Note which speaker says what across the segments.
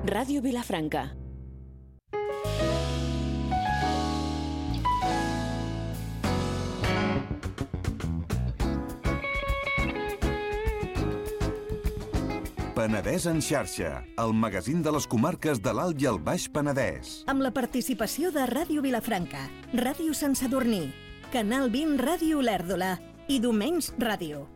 Speaker 1: Ràdio Vilafranca.
Speaker 2: Penedès en xarxa, el magazín de les comarques de l'Alt i el Baix Penedès.
Speaker 3: Amb la participació de Ràdio Vilafranca, Ràdio Sant Sadurní, Canal 20 Ràdio Olèrdola i Domenys Ràdio.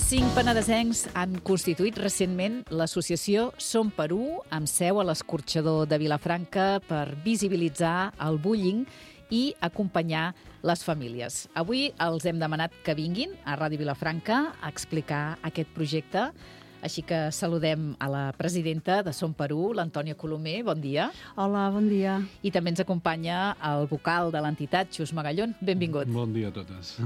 Speaker 4: Cinc penedesencs han constituït recentment l'associació Som per U, amb seu a l'escorxador de Vilafranca, per visibilitzar el bullying i acompanyar les famílies. Avui els hem demanat que vinguin a Ràdio Vilafranca a explicar aquest projecte. Així que saludem a la presidenta de Som per U, l'Antònia Colomer. Bon dia.
Speaker 5: Hola, bon dia.
Speaker 4: I també ens acompanya el vocal de l'entitat, Xus Magallón. Benvingut.
Speaker 6: Bon dia a totes.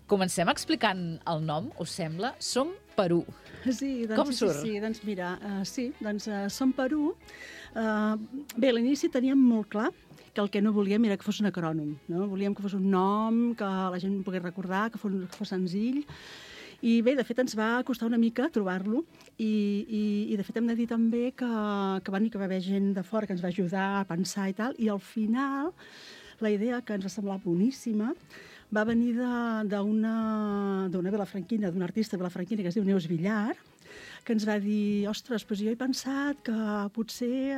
Speaker 4: Comencem explicant el nom, us sembla? Som per U.
Speaker 5: Sí, doncs,
Speaker 4: Com surt?
Speaker 5: Sí, doncs mira, Som per U. Bé, a l'inici teníem molt clar que el que no volíem era que fos un acrònim, no? Volíem que fos un nom, que la gent pogués recordar, que fos senzill. I bé, de fet, ens va costar una mica trobar-lo i de fet hem de dir també que va haver gent de fora que ens va ajudar a pensar i tal, i al final la idea, que ens va semblar boníssima, va venir d'una vilafranquina, d'una artista vilafranquina que es diu Neus Villar, que ens va dir, ostres, doncs jo he pensat que potser,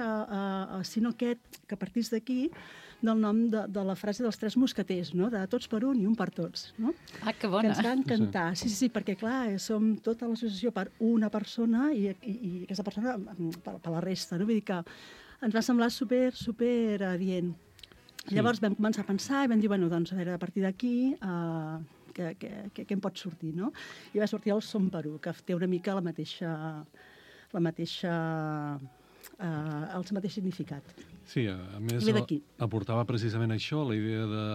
Speaker 5: si no aquest, que partís d'aquí, del nom de la frase dels tres mosqueters, no? De tots per un i un per tots. No?
Speaker 4: Ah, que bona.
Speaker 5: Que ens va encantar. Sí, perquè clar, som tota l'associació per una persona i aquesta persona per la resta. No? Vull dir que ens va semblar super adient. Sí. Llavors vam començar a pensar i vam dir, bueno, doncs a veure, a partir d'aquí, què em pot sortir, no? I va sortir el Som per U, que té una mica el mateix significat.
Speaker 6: Sí, a més, aportava precisament això, la idea de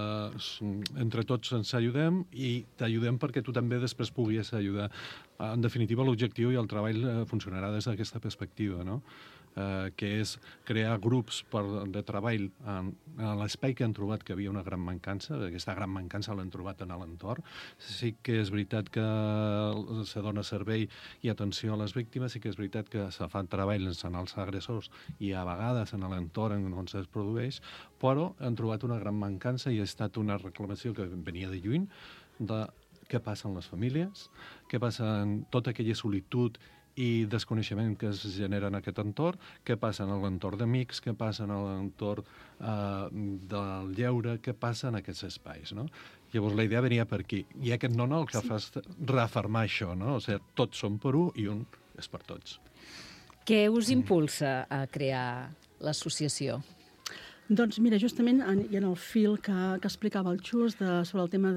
Speaker 6: entre tots ens ajudem i t'ajudem perquè tu també després puguis ajudar. En definitiva, l'objectiu i el treball funcionarà des d'aquesta perspectiva, no? Que és crear grups de treball en l'espai que han trobat que havia una gran mancança. Aquesta gran mancança l'han trobat en l'entorn. Sí que és veritat que se dona servei i atenció a les víctimes, sí que és veritat que se fan treballs en els agressors i a vegades en l'entorn on es produeix, però han trobat una gran mancança i ha estat una reclamació que venia de lluny de què passa en les famílies, què passa en tota aquella solitud i desconeixement que es genera en aquest entorn, què passa en l'entorn d'amics, què passa en l'entorn del lleure, què passa en aquests espais, no? Llavors la idea venia per aquí. I aquest nom el que fa és reafirmar això, no? O sigui, tots som per un i un és per tots.
Speaker 4: Què us impulsa a crear l'associació?
Speaker 5: Doncs mira, justament, i en el fil que explicava el Xus sobre el tema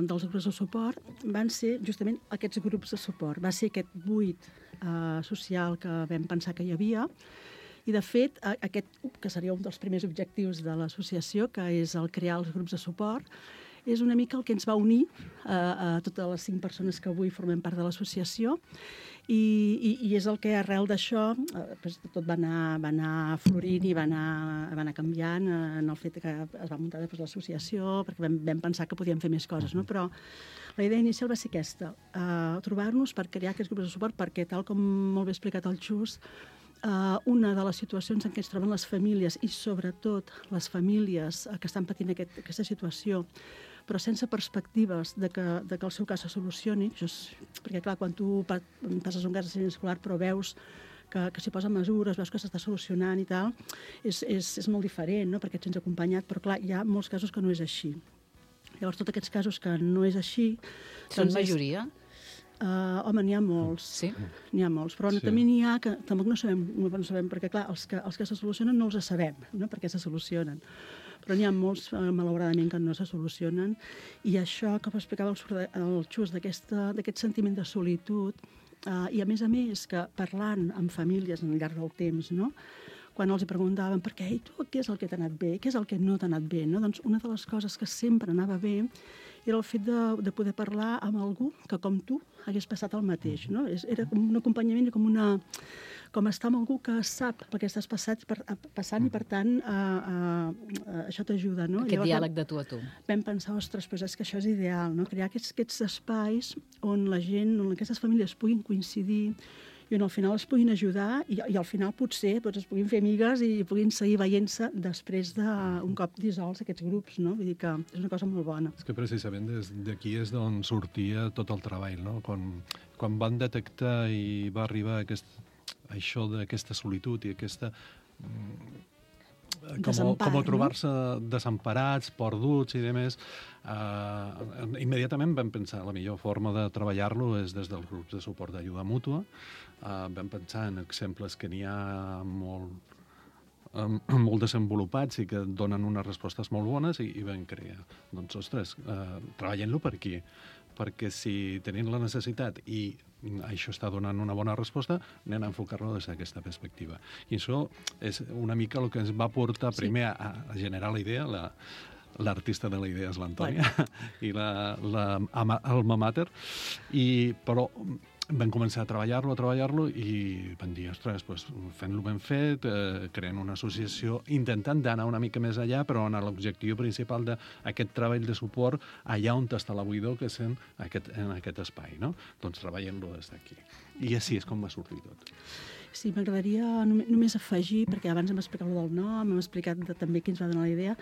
Speaker 5: dels grups de suport, van ser justament aquests grups de suport. Va ser aquest buit social que vam pensar que hi havia, i de fet, aquest que seria un dels primers objectius de l'associació, que és el crear els grups de suport, és una mica el que ens va unir a totes les 5 persones que avui formem part de l'associació, i és el que arrel d'això tot va anar florint i va anar canviant en el fet que es va muntar després l'associació, perquè vam pensar que podíem fer més coses, no? Però la idea inicial va ser aquesta, trobar-nos per crear aquests grups de suport, perquè tal com molt bé ha explicat el Xus, una de les situacions en què es troben les famílies, i sobretot les famílies que estan patint aquesta situació, però sense perspectives de que el seu cas se solucioni, perquè clar, quan tu passes un cas de escolar però veus que s'hi posen mesures, veus que s'està solucionant i tal, és molt diferent, no? Perquè et sents acompanyat, però clar, hi ha molts casos que no és així. Llavors, tots aquests casos que no és així...
Speaker 4: Són majoria?
Speaker 5: Home, n'hi ha molts.
Speaker 4: Sí?
Speaker 5: N'hi ha molts, però també n'hi ha que tampoc no sabem, perquè clar, els que se solucionen no els sabem, no? Perquè se solucionen. Però n'hi ha molts, malauradament, que no se solucionen, i això que explicava el Xus d'aquest sentiment de solitud, i a més, que parlant amb famílies al llarg del temps, no? Quan els preguntaven per què, i tu, què és el que t'ha anat bé, què és el que no t'ha anat bé, no? Doncs una de les coses que sempre anava bé era el fet de poder parlar amb algú que, com tu, hagués passat el mateix, no? Era com un acompanyament i com estar amb algú que sap el que estàs passant i, per tant, això t'ajuda, no?
Speaker 4: Aquest diàleg de tu a tu.
Speaker 5: Vam pensar, ostres, però és que això és ideal, no? Crear aquests espais on la gent, on aquestes famílies puguin coincidir i on al final es puguin ajudar i al final potser es puguin fer amigues i puguin seguir veient-se després d'un cop dissolts aquests grups, no? Vull dir que és una cosa molt bona.
Speaker 6: És que precisament d'aquí és d'on sortia tot el treball, no? Quan van detectar i va arribar això d'aquesta solitud i aquesta... com trobar-se desemparats, perduts i demés, immediatament vam pensar la millor forma de treballar-lo és des dels grups de suport d'ajuda mútua. Vam pensar en exemples que n'hi ha molt desenvolupats i que donen unes respostes molt bones i vam crear. Doncs, ostres, treballem-lo per aquí, perquè si tenim la necessitat i això està donant una bona resposta, anem a enfocar-lo des d'aquesta perspectiva. I això és una mica el que ens va portar primer a generar la idea, l'artista de la idea és l'Antònia, i l'alma mater, però vam començar a treballar-lo i vam dir, ostres, fent-lo ben fet, creant una associació, intentant d'anar una mica més allà, però en l'objectiu principal d'aquest treball de suport allà on està la buidor, que és en aquest espai, no? Doncs treballem-lo des d'aquí. I així és com va sortir tot.
Speaker 5: Sí, m'agradaria només afegir, perquè abans hem explicat el del nom, hem explicat també qui ens va donar la idea,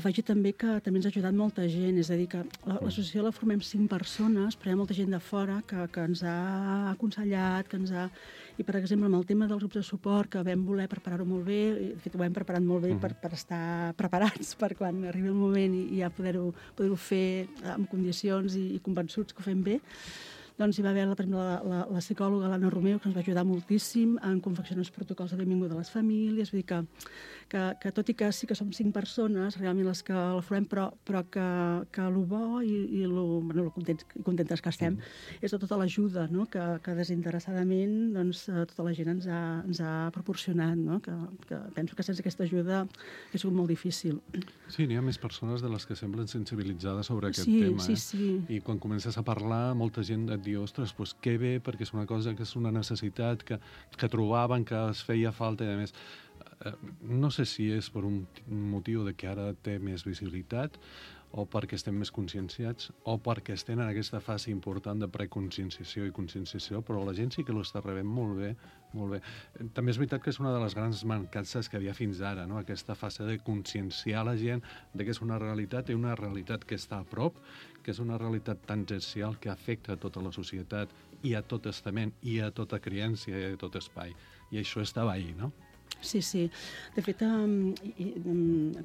Speaker 5: afegir també que també ens ha ajudat molta gent, és a dir, que l'associació la formem 5 persones, però hi ha molta gent de fora que ens ha aconsellat, I, per exemple, amb el tema dels grups de suport, que vam voler preparar-ho molt bé, de fet, ho hem preparat molt bé per estar preparats per quan arribi el moment i ja poder-ho fer amb condicions i convençuts que ho fem bé. Doncs hi va haver, per exemple, la psicòloga l'Anna Romeu, que ens va ajudar moltíssim en confeccionar els protocols de benvinguda a les famílies. Vull dir que tot i que sí que som 5 persones, realment les que la formem, però que el bo i el contentes que estem és de tota l'ajuda, no? que desinteressadament tota la gent ens ha proporcionat. No? Que penso que sense aquesta ajuda ha sigut molt difícil.
Speaker 6: Sí, n'hi ha més persones de les que semblen sensibilitzades sobre aquest tema.
Speaker 5: Sí.
Speaker 6: I quan comences a parlar, molta gent et diu, ostres, que bé, perquè és una cosa que és una necessitat que trobaven, que es feia falta i a més. No sé si és per un motiu de que ara té més visibilitat o perquè estem més conscienciats o perquè estem en aquesta fase important de preconscienciació i conscienciació, però la gent sí que l'està rebent molt bé, molt bé. També és veritat que és una de les grans mancances que hi havia fins ara, no? Aquesta fase de conscienciar la gent de que és una realitat i una realitat que està a prop, que és una realitat tangencial que afecta a tota la societat i a tot estament i a tota criança i a tot espai. I això estava ahí, no?
Speaker 5: Sí. De fet,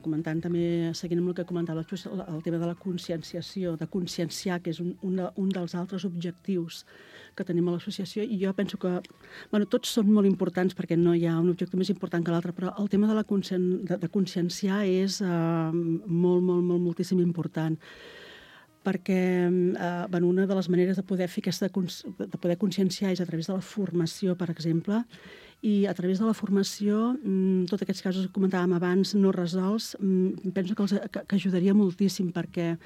Speaker 5: comentant també, seguint amb el que comentava el tema de la conscienciació, de conscienciar, que és un dels altres objectius que tenim a l'associació, i jo penso que tots són molt importants perquè no hi ha un objectiu més important que l'altre, però el tema de conscienciar és moltíssim important, perquè una de les maneres de poder fer de poder conscienciar és a través de la formació, per exemple, i a través de la formació, tots aquests casos que comentàvem abans no resolts, penso que ajudaria moltíssim, perquè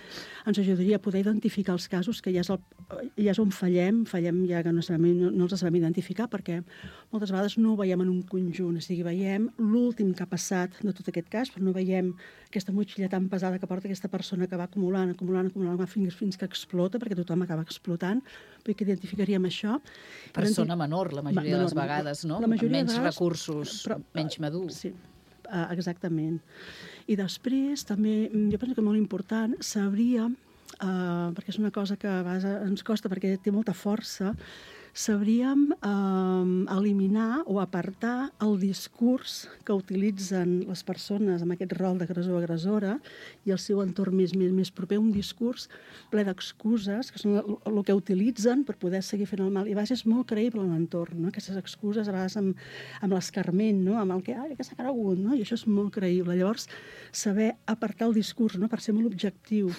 Speaker 5: ens ajudaria a poder identificar els casos, que ja és on fallem ja que no els sabem identificar, perquè moltes vegades no ho veiem en un conjunt, o sigui, veiem l'últim que ha passat de tot aquest cas, però no veiem aquesta motxilla tan pesada que porta aquesta persona que va acumulant fins que explota, perquè tothom acaba explotant, perquè identificaríem això.
Speaker 4: Persona menor, la majoria de les vegades, no? Amb menys recursos, menys madurs.
Speaker 5: Sí, exactament. I després, també, jo penso que molt important, sabríem, perquè és una cosa que a vegades ens costa perquè té molta força, sabríem eliminar o apartar el discurs que utilitzen les persones amb aquest rol d'agressor-agressora i el seu entorn més proper, un discurs ple d'excuses, que són el que utilitzen per poder seguir fent el mal. I a vegades és molt creïble en l'entorn, no? Aquestes excuses, a vegades amb l'escarment, no? Amb el que s'ha cregut, no? I això és molt creïble. Llavors, saber apartar el discurs, no? Per ser molt objectiu,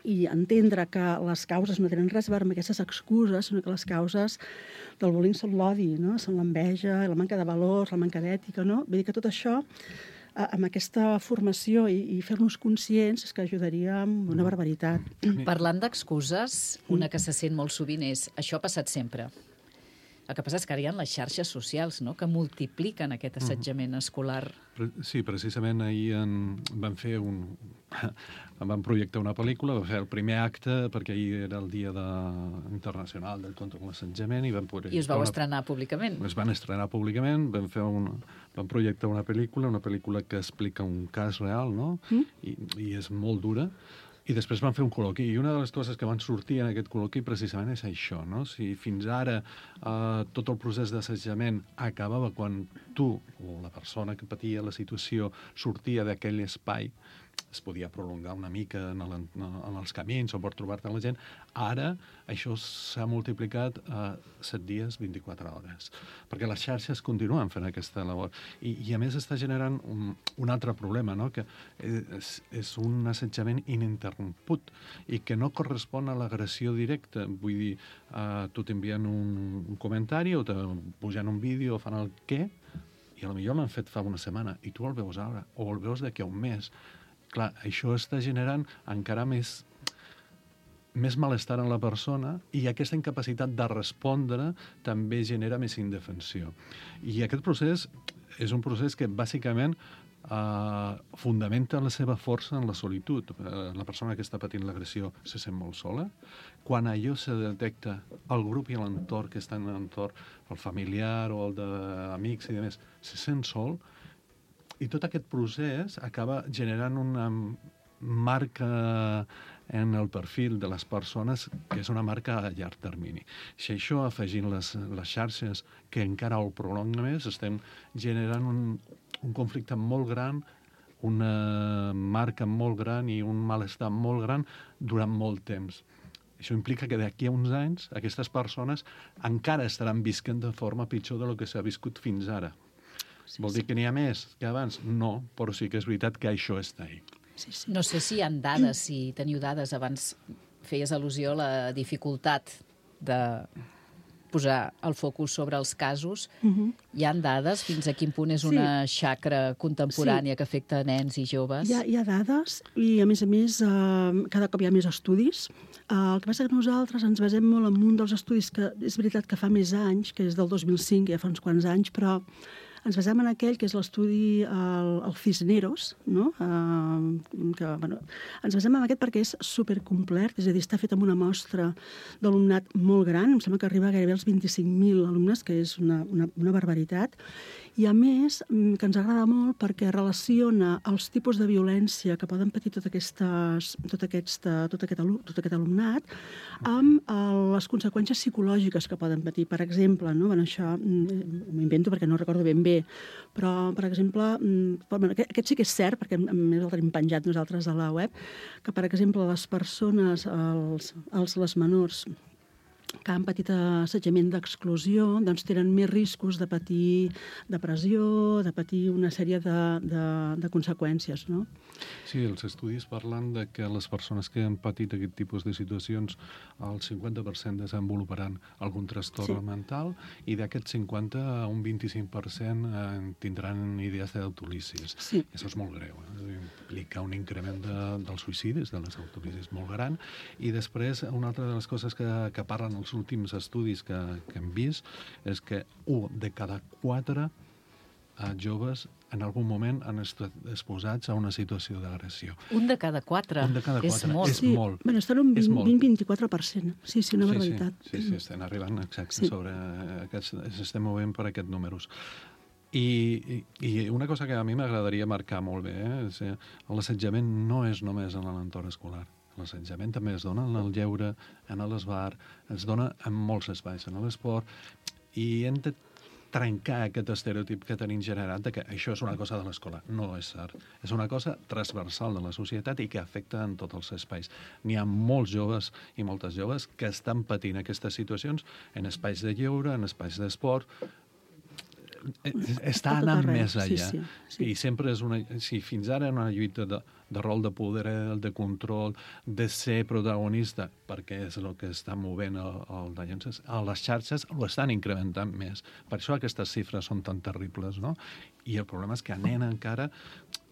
Speaker 5: i entendre que les causes no tenen res a veure amb aquestes excuses, sinó que les causes del bullying són l'odi, no? Són l'enveja, la manca de valors, la manca d'ètica, no? Vull dir que tot això amb aquesta formació i fer-nos conscients és que ajudaria amb una barbaritat.
Speaker 4: Parlant d'excuses, una que se sent molt sovint és això ha passat sempre. El que passa és que ara hi ha les xarxes socials, no?, que multipliquen aquest assetjament escolar.
Speaker 6: Sí, precisament ahir van projectar una pel·lícula, van fer el primer acte, perquè ahir era el dia internacional del contra l'assetjament, i
Speaker 4: I us vau estrenar públicament.
Speaker 6: Es van estrenar públicament, van projectar una pel·lícula que explica un cas real, no? I és molt dura. I després van fer un col·loqui, i una de les coses que van sortir en aquest col·loqui precisament és això, no? Si fins ara tot el procés d'assetjament acabava quan tu, o la persona que patia la situació, sortia d'aquell espai, es podia prolongar una mica en els camins o per trobar-te amb la gent, ara això s'ha multiplicat a 7 dies, 24 hores. Perquè les xarxes continuen fent aquesta labor. I a més està generant un altre problema, no? Que és un assetjament ininterromput i que no correspon a l'agressió directa. Vull dir, tu t'envien un comentari o te pugen un vídeo o fan el què, i potser l'han fet fa una setmana i tu el veus ara, o el veus d'aquí a un mes. Clar, això està generant encara més malestar en la persona, i aquesta incapacitat de respondre també genera més indefensió. I aquest procés és un procés que bàsicament fundamenta la seva força en la solitud. La persona que està patint l'agressió se sent molt sola. Quan allò se detecta, el grup i l'entorn que està en l'entorn, el familiar o el d'amics i demés, se sent sol. I tot aquest procés acaba generant una marca en el perfil de les persones que és una marca a llarg termini. Si això afegint les xarxes que encara ho prolonga més, estem generant un conflicte molt gran, una marca molt gran i un malestar molt gran durant molt temps. Això implica que d'aquí a uns anys aquestes persones encara estaran visquent de forma pitjor del que s'ha viscut fins ara. Vol dir que n'hi ha més que abans? No, però sí que és veritat que això està ahí.
Speaker 4: No sé si hi ha dades, si teniu dades. Abans feies al·lusió a la dificultat de posar el focus sobre els casos. Hi ha dades? Fins a quin punt és una xacra contemporània que afecta nens i joves?
Speaker 5: Hi ha dades i, a més, cada cop hi ha més estudis. El que passa que nosaltres ens basem molt en un dels estudis que és veritat que fa més anys, que és del 2005, ja fa uns quants anys, però ens basem en aquell que és l'estudi el Cisneros, no? Ens basem en aquest perquè és supercomplet, és a dir, està fet amb una mostra d'alumnat molt gran, em sembla que arriba gairebé als 25.000 alumnes, que és una barbaritat, i a més que ens agrada molt perquè relaciona els tipus de violència que poden patir tot aquest alumnat amb les conseqüències psicològiques que poden patir. Per exemple, no? Això m'ho invento perquè no recordo ben bé, però, per exemple, aquest sí que és cert, perquè a més el tenim penjat nosaltres a la web, que, per exemple, les persones, les menors que han patit assetjament d'exclusió, doncs tenen més riscos de patir depressió, de patir una sèrie de conseqüències, no?
Speaker 6: Sí, els estudis parlen de que les persones que han patit aquest tipus de situacions, el 50% desenvoluparan algun trastorn mental, i d'aquest 50, un 25% tindran idees d'autolicis.
Speaker 5: Sí.
Speaker 6: Això és molt greu. Implica un increment dels suïcidis, de les autolicis molt gran, i després una altra de les coses que parlen els últims estudis que hem vist és que 1 de cada 4 joves en algun moment han estat exposats a una situació d'agressió.
Speaker 4: 1 de cada 4?
Speaker 6: 1 de cada 4.
Speaker 4: És molt.
Speaker 6: És molt.
Speaker 5: Bueno, estan un 20-24%. Sí, una barbaritat.
Speaker 6: Sí, estem arribant exacte sobre s'estem movent per aquests números. I una cosa que a mi m'agradaria marcar molt bé, l'assetjament no és només en l'entorn escolar. L'assetjament també es dona en el lleure, en l'esbar, es dona en molts espais, en l'esport, i hem de trencar aquest estereotip que tenim generat de que això és una cosa de l'escola. No és cert. És una cosa transversal de la societat i que afecta en tots els espais. N'hi ha molts joves i moltes joves que estan patint aquestes situacions en espais de lleure, en espais d'esport. està anant més allà.
Speaker 5: Sí.
Speaker 6: I sempre és fins ara una lluita de rol de poder, de control, de ser protagonista, perquè és el que està movent les xarxes, ho estan incrementant més. Per això aquestes xifres són tan terribles, no? I el problema és que anem encara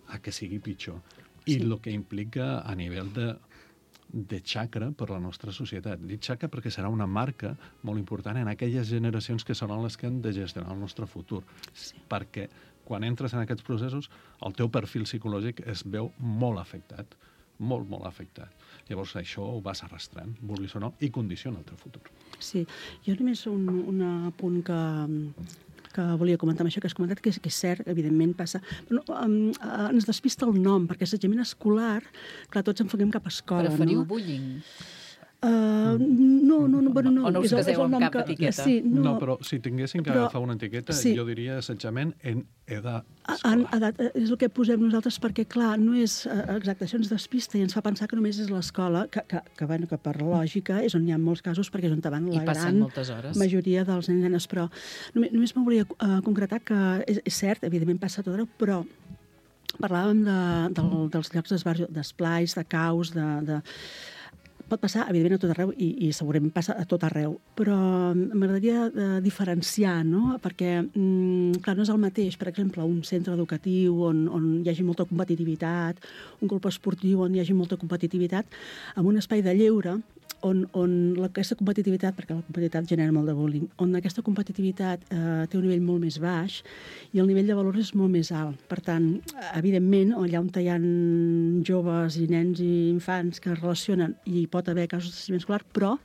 Speaker 6: a que sigui pitjor. I el que implica a nivell de xacra per la nostra societat. Dic xacra perquè serà una marca molt important en aquelles generacions que seran les que han de gestionar el nostre futur. Sí. Perquè quan entres en aquests processos, el teu perfil psicològic es veu molt afectat, molt, molt afectat. Llavors això ho vas arrastrant, vulguis o no, i condiciona el teu futur.
Speaker 5: Sí, jo només un apunt que volia comentar amb això que has comentat, que és cert, evidentment passa... Però ens despista el nom, perquè assetjament escolar, clar, tots enfoquem cap a escola.
Speaker 4: Preferiu bullying?
Speaker 5: No.
Speaker 4: O no us caseu amb cap etiqueta?
Speaker 5: Sí,
Speaker 6: no, però si tinguéssim que agafar una etiqueta, jo diria assetjament en edat escolar.
Speaker 5: És el que posem nosaltres perquè, clar, no és exacte, això ens despista i ens fa pensar que només és l'escola, que per lògica és on hi ha molts casos, perquè és on van la gran majoria dels nens i nenes. Però només me volia concretar que és cert, evidentment passa a tot arreu, però parlàvem dels llocs d'esplais, de caus, pot passar, evidentment, a tot arreu i segurament passa a tot arreu, però m'agradaria diferenciar, no? Perquè, clar, no és el mateix, per exemple, un centre educatiu on hi hagi molta competitivitat, un club esportiu on hi hagi molta competitivitat, amb un espai de lleure on aquesta competitivitat, perquè la competitivitat genera molt de bullying, on aquesta competitivitat té un nivell molt més baix i el nivell de valors és molt més alt. Per tant, evidentment, allà on hi ha joves i nens i infants que es relacionen i pot haver casos d'assetjament escolar, però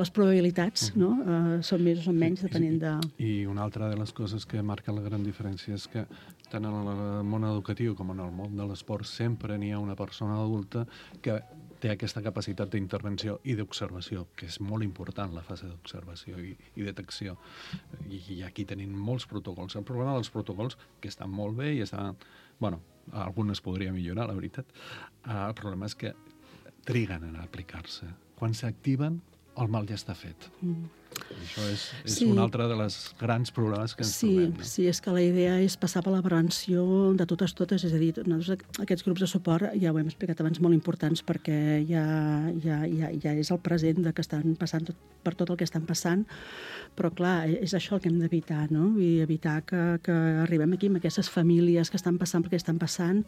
Speaker 5: les probabilitats són més o són menys, depenent de...
Speaker 6: I una altra de les coses que marca la gran diferència és que tant en el món educatiu com en el món de l'esport sempre n'hi ha una persona adulta que té aquesta capacitat d'intervenció i d'observació, que és molt important la fase d'observació i detecció. I aquí tenim molts protocols. El problema dels protocols, que estan molt bé i estan... Bueno, algunes podria millorar, la veritat. El problema és que triguen a aplicar-se. Quan s'activen, el mal ja està fet. Això és un altre de les grans problemes que ens trobem.
Speaker 5: Sí, és que la idea és passar per la prevenció de totes, és a dir, aquests grups de suport, ja ho hem explicat abans, molt importants perquè ja és el present de que estan passant per tot el que estan passant, però clar, és això el que hem d'evitar, no? I evitar que arribem aquí amb aquestes famílies que estan passant perquè estan passant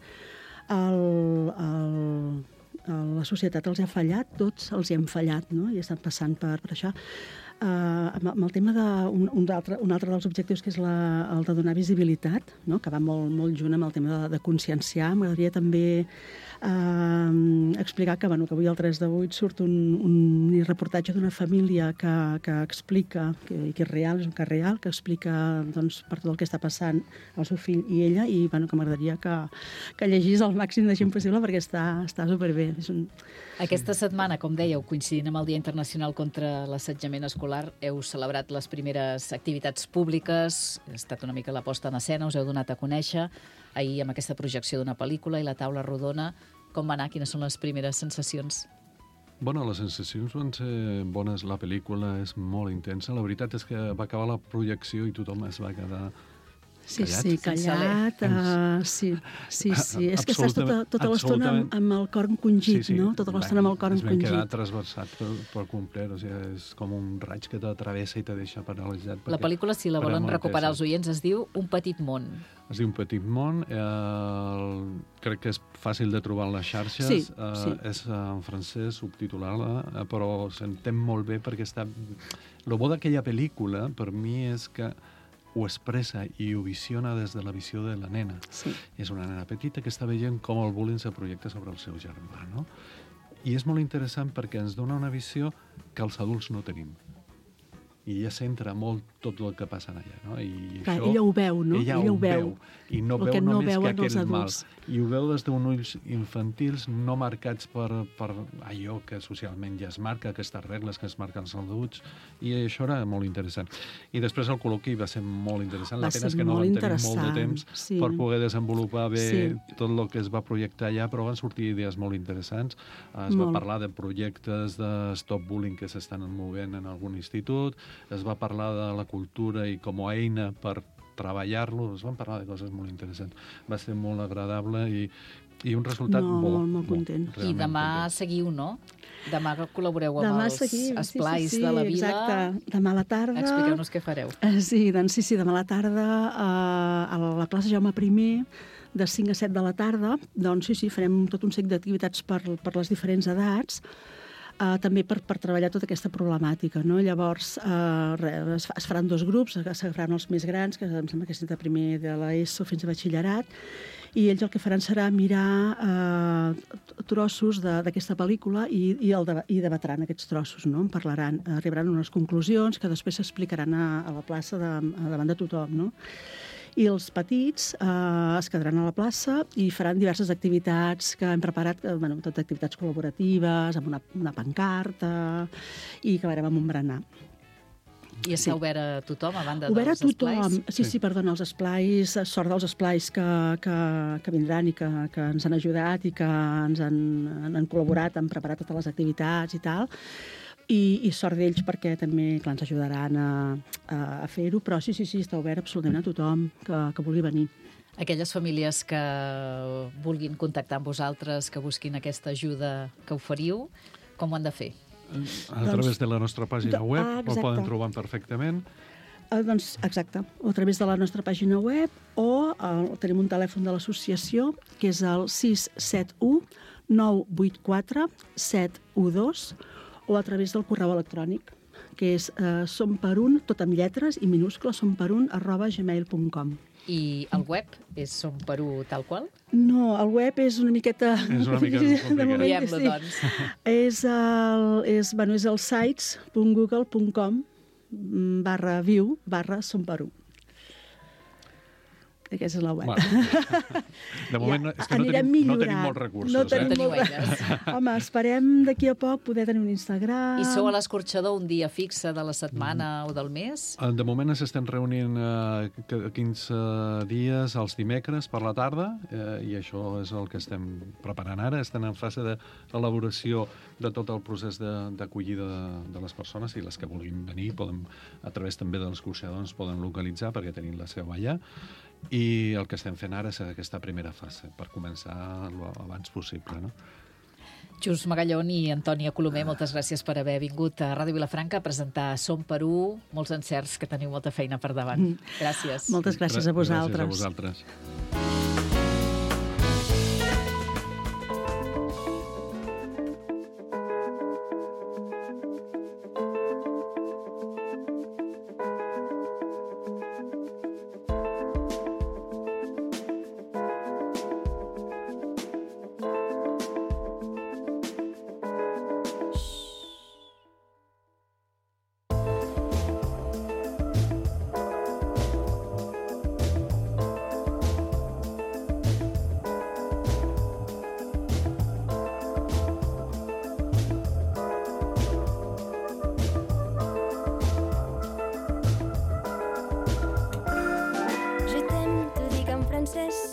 Speaker 5: la societat els ha fallat, tots els hi hem fallat, no? I estan passant per això. Amb el tema d'un altre dels objectius, que és el de donar visibilitat, no? Que va molt junt amb el tema de conscienciar. M'agradaria també explicar que avui al 3 de 8 surt un reportatge d'una família que explica, que és real, és un cas real, que explica per tot el que està passant el seu fill i ella, i que m'agradaria que llegís el màxim de gent possible perquè està superbé.
Speaker 4: Aquesta setmana, com dèieu, coincidint amb el Dia Internacional contra l'Assetjament Escolar, heu celebrat les primeres activitats públiques, ha estat una mica la posta en escena, us heu donat a conèixer, ahir amb aquesta projecció d'una pel·lícula i la taula rodona. Com va anar? Quines són les primeres sensacions?
Speaker 6: Bueno, les sensacions van ser bones. La pel·lícula és molt intensa. La veritat és que va acabar la projecció i tothom es va quedar...
Speaker 5: callat. Sí. És que estàs tota l'estona amb el cor encongit, no? Tota l'estona amb el cor encongit.
Speaker 6: Es van quedar trasversat per complet. O sigui, és com un raig que t'atravessa i te deixa paralitzat.
Speaker 4: La pel·lícula, si la volen recuperar els oients, es diu Un petit món.
Speaker 6: Es diu Un petit món. Crec que és fàcil de trobar a les xarxes. És en francès, subtitulada, però s'entén molt bé perquè està... El bo d'aquella pel·lícula, per mi, és que ho expressa i ho visiona des de la visió de la nena.
Speaker 5: Sí.
Speaker 6: És una nena petita que està veient com el bullying se projecta sobre el seu germà, no? I és molt interessant perquè ens dona una visió que els adults no tenim. I ella centra molt tot el que passa allà, no? I
Speaker 5: clar,
Speaker 6: això,
Speaker 5: ella ho veu, no?
Speaker 6: Ella ho veu. I no veu només que aquell mal. I ho veu des d'un ulls infantils no marcats per allò que socialment ja es marca, aquestes regles que es marquen els adults, i això era molt interessant. I després el col·loqui va ser molt interessant. La pena és que no vam tenir molt de temps per poder desenvolupar bé tot el que es va projectar allà, però van sortir idees molt interessants. Es va parlar de projectes de stop bullying que s'estan movent en algun institut, es va parlar de la cultura i com a eina per treballar-lo, es van parlar de coses molt interessants. Va ser molt agradable i un resultat
Speaker 5: molt content.
Speaker 4: I demà seguiu, no? Demà col·laboreu amb els esplais de la vila.
Speaker 5: Exacte. Demà a la tarda...
Speaker 4: Expliqueu-nos què fareu.
Speaker 5: Sí, demà a la tarda a la plaça Jaume I, de 5 a 7 de la tarda, doncs sí, farem tot un seguit d'activitats per les diferents edats, també per treballar tota aquesta problemàtica, no? Llavors es faran 2 grups, s'agafaran els més grans, que em sembla que és de primer de l'ESO fins a batxillerat, i ells el que faran serà mirar trossos d'aquesta pel·lícula i debatran aquests trossos, no? En parlaran, arribaran a unes conclusions que després s'explicaran a la plaça davant de tothom, no? I els petits es quedaran a la plaça i faran diverses activitats que hem preparat, tot activitats col·laboratives, amb una pancarta, i acabarem amb un berenar.
Speaker 4: I està obert a tothom, a banda dels esplais?
Speaker 5: Obert a tothom, sí, perdona, els esplais, sort dels esplais que vindran i que ens han ajudat i que ens han col·laborat, han preparat totes les activitats i tal, i sort d'ells perquè també ens ajudaran a fer-ho, però sí, està obert absolutament a tothom que vulgui venir.
Speaker 4: Aquelles famílies que vulguin contactar amb vosaltres, que busquin aquesta ajuda que oferiu, com ho han de fer?
Speaker 6: A través de la nostra pàgina web, ho poden trobar perfectament.
Speaker 5: Doncs, exacte, o a través de la nostra pàgina web, o tenim un telèfon de l'associació, que és el 671 984 712, o a través del correu electrònic, que és somperun, tot amb lletres i minúscules, somperun@gmail.com.
Speaker 4: I el web és Somperú tal qual?
Speaker 5: No, el web és una miqueta...
Speaker 6: És una mica complicat.
Speaker 4: Diem-lo, doncs.
Speaker 5: És el sites.google.com/view/Somperú. Aquesta és la web.
Speaker 6: De moment és que no tenim molts recursos.
Speaker 4: No teniu eines.
Speaker 5: Home, esperem d'aquí a poc poder tenir un Instagram.
Speaker 4: I sou a l'escorxador un dia fixe de la setmana o del mes?
Speaker 6: De moment ens estem reunint 15 dies els dimecres per la tarda i això és el que estem preparant ara. Estem en fase d'elaboració de tot el procés d'acollida de les persones, i les que vulguin venir a través també de l'escorxador ens poden localitzar perquè tenim la seu allà. I el que estem fent ara és aquesta primera fase, per començar abans possible, no?
Speaker 4: Just Magallón i Antònia Colomer, moltes gràcies per haver vingut a Ràdio Vilafranca a presentar Somperú. Molts encerts, que teniu molta feina per davant. Gràcies.
Speaker 5: Moltes gràcies a vosaltres.
Speaker 6: Gràcies a vosaltres.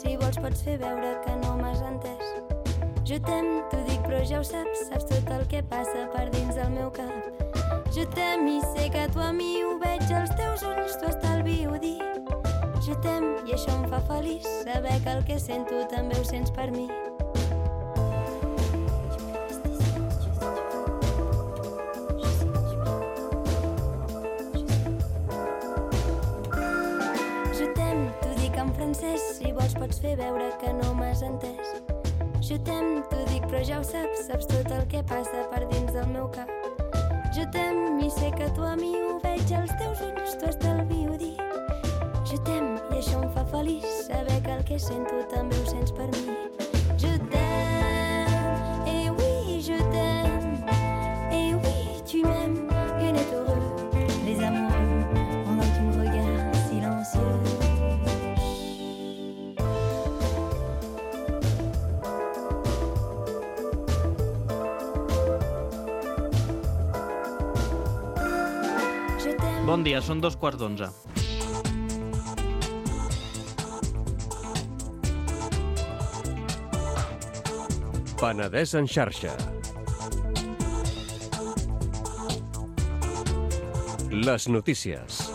Speaker 1: Si vols pots fer veure que no m'has entès. Jo t'aime, t'ho dic però ja ho saps tot el que passa per dins del meu cap. Jo t'aime i sé que tu a mi ho veig als teus ulls, t'ho estalvio dir. Jo t'aime i això em fa feliç, saber que el que sento també ho sents per mi. Si vols pots fer veure que no m'has entès. Jo t'aime, t'ho dic però ja ho saps tot el que passa per dins del meu cap. Jo t'aime i sé que tu a mi ho veig als teus ulls, t'ho estalvio dir. Jo t'aime i això em fa feliç, saber que el que sento també ho sents per mi. Je t'aime, et oui je t'aime, et oui tu m'aimes, rien n'est heureux, les amoureux, pendant que tu me regardes silencieux.
Speaker 7: Bon dia, són 2:15.
Speaker 8: Penedès en xarxa. Les notícies.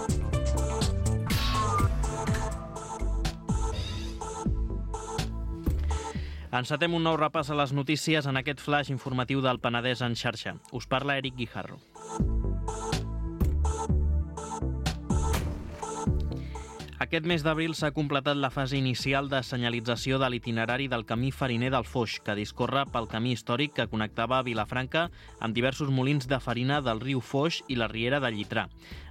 Speaker 7: Encetem un nou repàs a les notícies en aquest flash informatiu del Penedès en xarxa. Us parla Eric Guijarro. Aquest mes d'abril s'ha completat la fase inicial de senyalització de l'itinerari del camí fariner del Foix, que discorre pel camí històric que connectava Vilafranca amb diversos molins de farina del riu Foix i la riera de Llitrà.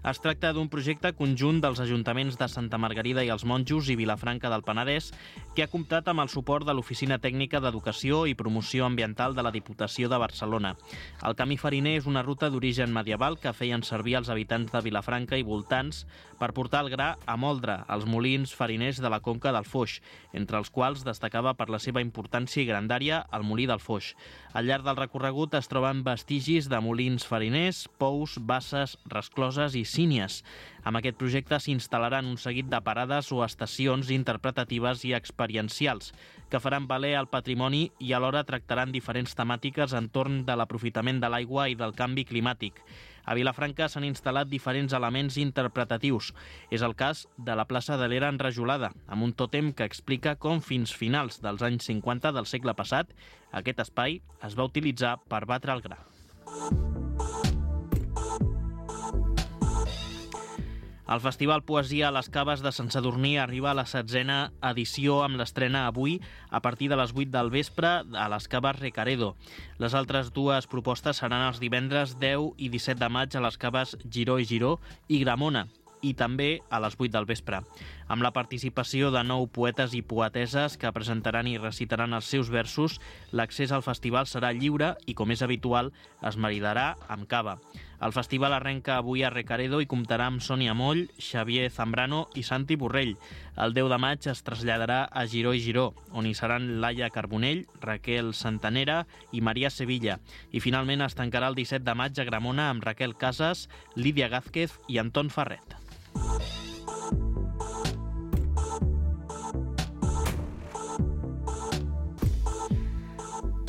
Speaker 7: Es tracta d'un projecte conjunt dels ajuntaments de Santa Margarida i els Monjos i Vilafranca del Penedès, que ha comptat amb el suport de l'Oficina Tècnica d'Educació i Promoció Ambiental de la Diputació de Barcelona. El camí fariner és una ruta d'origen medieval que feien servir els habitants de Vilafranca i voltants per portar el gra a moldre als molins fariners de la conca del Foix, entre els quals destacava per la seva importància i grandària el molí del Foix. Al llarg del recorregut es troben vestigis de molins fariners, pous, basses, rescloses i sínies. Amb aquest projecte s'instal·laran un seguit de parades o estacions interpretatives i experiencials que faran valer el patrimoni i alhora tractaran diferents temàtiques entorn de l'aprofitament de l'aigua i del canvi climàtic. A Vilafranca s'han instal·lat diferents elements interpretatius. És el cas de la plaça de l'Era enrajolada, amb un tòtem que explica com fins finals dels anys 50 del segle passat aquest espai es va utilitzar per batre el gra. El Festival Poesia a les Caves de Sant Sadurní arriba a la 16a edició amb l'estrena avui a partir de les 8 del vespre a les Caves Recaredo. Les altres dues propostes seran els divendres 10 i 17 de maig a les Caves Giró i Giró i Gramona, i també a les 8 del vespre, amb la participació de 9 poetes i poeteses que presentaran i recitaran els seus versos. L'accés al festival serà lliure i, com és habitual, es maridarà amb cava. El festival arrenca avui a Recaredo i comptarà amb Sònia Moll, Xavier Zambrano i Santi Borrell. El 10 de maig es traslladarà a Giró i Giró, on hi seran Laia Carbonell, Raquel Santanera i Maria Sevilla. I finalment es tancarà el 17 de maig a Gramona amb Raquel Casas, Lídia Gázquez i Anton Ferret.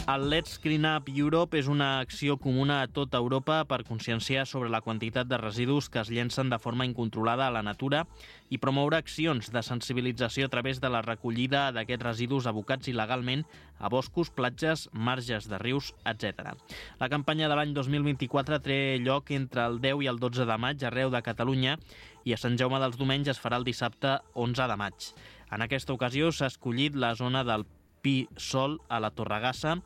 Speaker 7: El Let's Clean Up Europe és una acció comuna a tota Europa per conscienciar sobre la quantitat de residus que es llencen de forma incontrolada a la natura i promoure accions de sensibilització a través de la recollida d'aquests residus abocats il·legalment a boscos, platges, marges de rius, etc. La campanya de l'any 2024 té lloc entre el 10 i el 12 de maig arreu de Catalunya i a Sant Jaume dels Domenys es farà el dissabte 11 de maig. En aquesta ocasió s'ha escollit la zona del Pi Sol a la Torregassa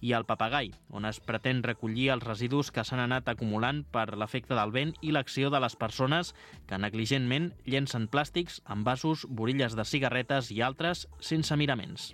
Speaker 7: i al Papagai, on es pretén recollir els residus que s'han anat acumulant per l'efecte del vent i l'acció de les persones que negligentment llencen plàstics, envasos, borilles de cigarretes i altres sense miraments.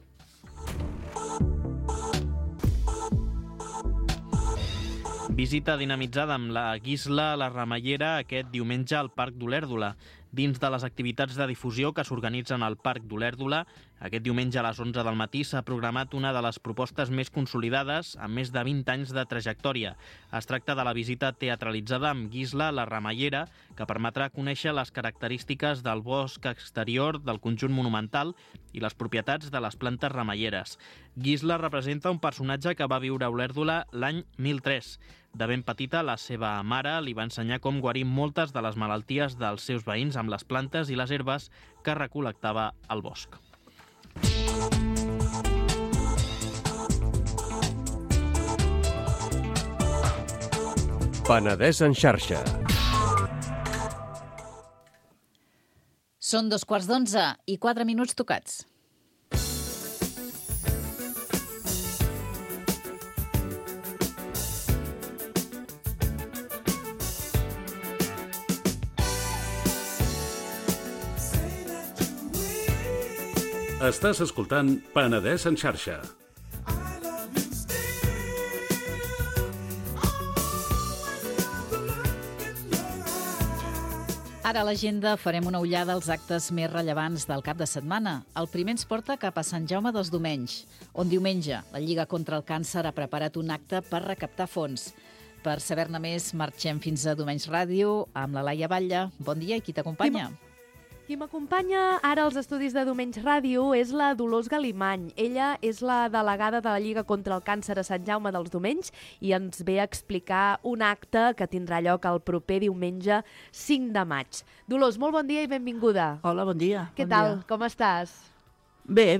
Speaker 7: Visita dinamitzada amb la Guisla a la Ramallera aquest diumenge al Parc d'Olèrdola. Dins de les activitats de difusió que s'organitzen al Parc d'Olèrdola, aquest diumenge a les 11 del matí s'ha programat una de les propostes més consolidades amb més de 20 anys de trajectòria. Es tracta de la visita teatralitzada amb Guisla a la Ramallera, que permetrà conèixer les característiques del bosc exterior del conjunt monumental i les propietats de les plantes ramalleres. Guisla representa un personatge que va viure a Olèrdola l'any 1003. De ben petita, la seva mare li va ensenyar com guarir moltes de les malalties dels seus veïns amb les plantes i les herbes que recol·lectava al bosc.
Speaker 8: Penedès en xarxa.
Speaker 4: Són 11:15 i 4 minuts tocats.
Speaker 9: Estàs escoltant Penedès en xarxa.
Speaker 4: Ara a l'agenda farem una ullada als actes més rellevants del cap de setmana. El primer ens porta cap a Sant Jaume dels Domenys, on diumenge la Lliga contra el Càncer ha preparat un acte per recaptar fons. Per saber-ne més, marxem fins a Domenys Ràdio amb la Laia Batlle. Bon dia, i qui t'acompanya?
Speaker 10: Qui m'acompanya ara als estudis de Domenys Ràdio és la Dolors Galimany. Ella és la delegada de la Lliga contra el Càncer a Sant Jaume dels Domenys i ens ve a explicar un acte que tindrà lloc el proper diumenge 5 de maig. Dolors, molt bon dia i benvinguda.
Speaker 11: Hola, bon dia.
Speaker 10: Què tal? Com estàs?
Speaker 11: Bé,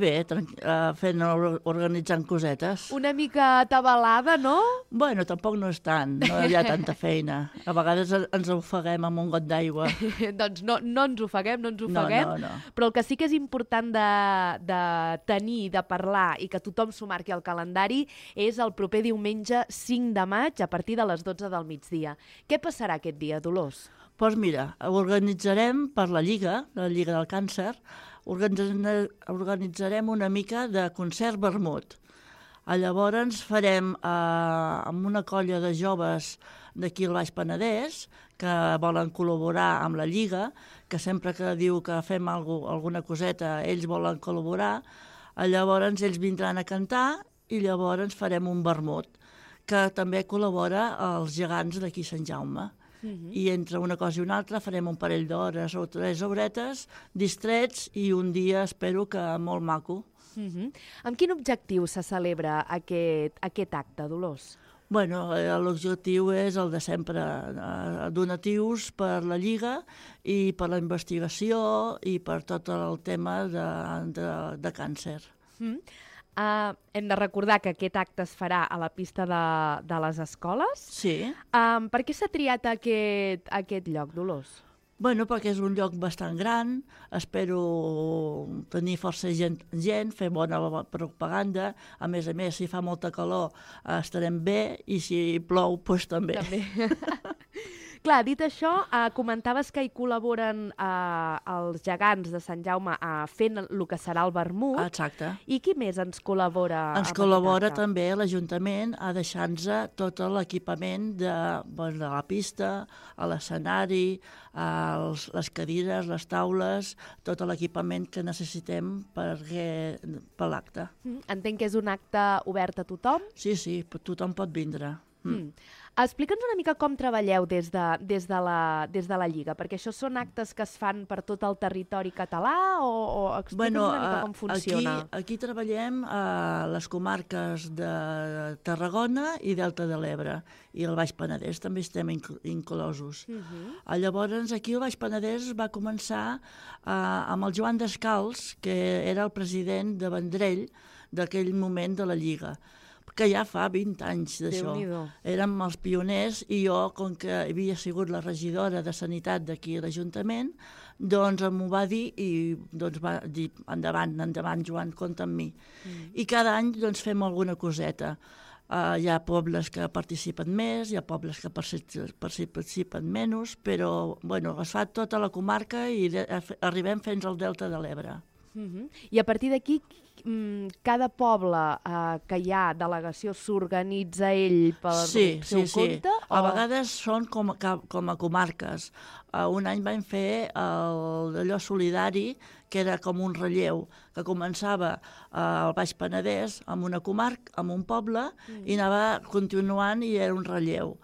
Speaker 11: organitzant cosetes.
Speaker 10: Una mica atabalada, no?
Speaker 11: Bueno, tampoc no és tant, no hi ha tanta feina. A vegades ens ofeguem amb un got d'aigua.
Speaker 10: Doncs no ens ofeguem,
Speaker 11: No.
Speaker 10: Però el que sí que és important de tenir, de parlar i que tothom s'ho marqui al calendari és el proper diumenge 5 de maig a partir de les 12 del migdia. Què passarà aquest dia, Dolors?
Speaker 11: Doncs mira, organitzarem per la Lliga del Càncer, organitzarem una mica de concert vermut. Llavors farem amb una colla de joves d'aquí al Baix Penedès que volen col·laborar amb la Lliga, que sempre que diu que fem alguna coseta, ells volen col·laborar. Llavors ells vindran a cantar i llavors farem un vermut, que també col·labora als gegants d'aquí Sant Jaume. I entre una cosa i una altra farem un parell d'hores o 3 horetes distrets i un dia espero que molt maco.
Speaker 10: Amb quin objectiu se celebra aquest acte, Dolors?
Speaker 11: Bueno, l'objectiu és el de sempre, donatius per la Lliga i per la investigació i per tot el tema de càncer.
Speaker 10: Hem de recordar que aquest acte es farà a la pista de les escoles.
Speaker 11: Sí.
Speaker 10: Per què s'ha triat aquest lloc, Dolors?
Speaker 11: Bueno, perquè és un lloc bastant gran, espero tenir força gent, fer bona propaganda, a més, si fa molta calor estarem bé i si plou, doncs també.
Speaker 10: Clar, dit això, comentaves que hi col·laboren els gegants de Sant Jaume fent el que serà el vermut.
Speaker 11: Exacte.
Speaker 10: I qui més ens col·labora?
Speaker 11: Ens col·labora també l'Ajuntament a deixar-nos tot l'equipament de la pista, a l'escenari, les cadires, les taules, tot l'equipament que necessitem per l'acte.
Speaker 10: Entenc que és un acte obert a tothom?
Speaker 11: Sí, tothom pot vindre.
Speaker 10: Explica'ns una mica com treballeu des de la Lliga, perquè això són actes que es fan per tot el territori català o explica'ns una mica com funciona.
Speaker 11: Aquí treballem a les comarques de Tarragona i Delta de l'Ebre, i el Baix Penedès també estem inclosos. Llavors, aquí el Baix Penedès va començar amb el Joan Descalç, que era el president de Vendrell d'aquell moment de la Lliga, que ja fa 20 anys d'això. Érem els pioners i jo, com que havia sigut la regidora de Sanitat d'aquí a l'Ajuntament, doncs m'ho va dir i doncs va dir endavant, Joan, compta amb mi. I cada any doncs fem alguna coseta. Hi ha pobles que participen més, hi ha pobles que participen menys, però es fa tota la comarca i arribem fins al Delta de l'Ebre.
Speaker 10: I a partir d'aquí, cada poble que hi ha delegació s'organitza ell pel seu compte?
Speaker 11: A vegades són com a comarques. Un any vam fer allò solidari, que era com un relleu, que començava al Baix Penedès amb una comarca, amb un poble, i anava continuant i era un relleu.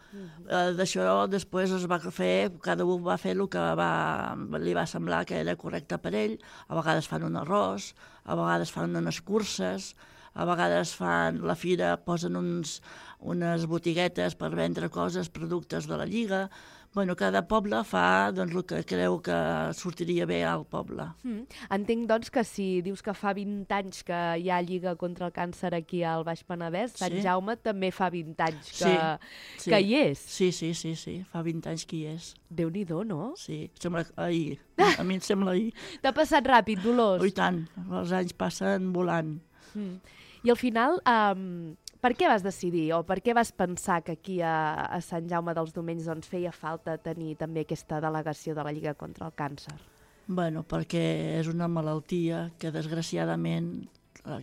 Speaker 11: D'això després es va fer, cada un va fer el que li va semblar que era correcte per ell. A vegades fan un arròs, a vegades fan unes curses, a vegades fan la fira, posen unes botiguetes per vendre coses, productes de la Lliga. Cada poble fa el que creu que sortiria bé al poble.
Speaker 10: Entenc, doncs, que si dius que fa 20 anys que hi ha Lliga contra el càncer aquí al Baix Penedès, Sant Jaume també fa 20 anys que hi és.
Speaker 11: Sí, fa 20 anys que hi és.
Speaker 10: Déu-n'hi-do, no?
Speaker 11: Sí, sembla ahir. A mi em sembla ahir.
Speaker 10: T'ha passat ràpid, Dolors?
Speaker 11: I tant, els anys passen volant.
Speaker 10: I al final, per què vas decidir o per què vas pensar que aquí a Sant Jaume dels Domenys feia falta tenir també aquesta delegació de la Lliga contra el càncer?
Speaker 11: Perquè és una malaltia que desgraciadament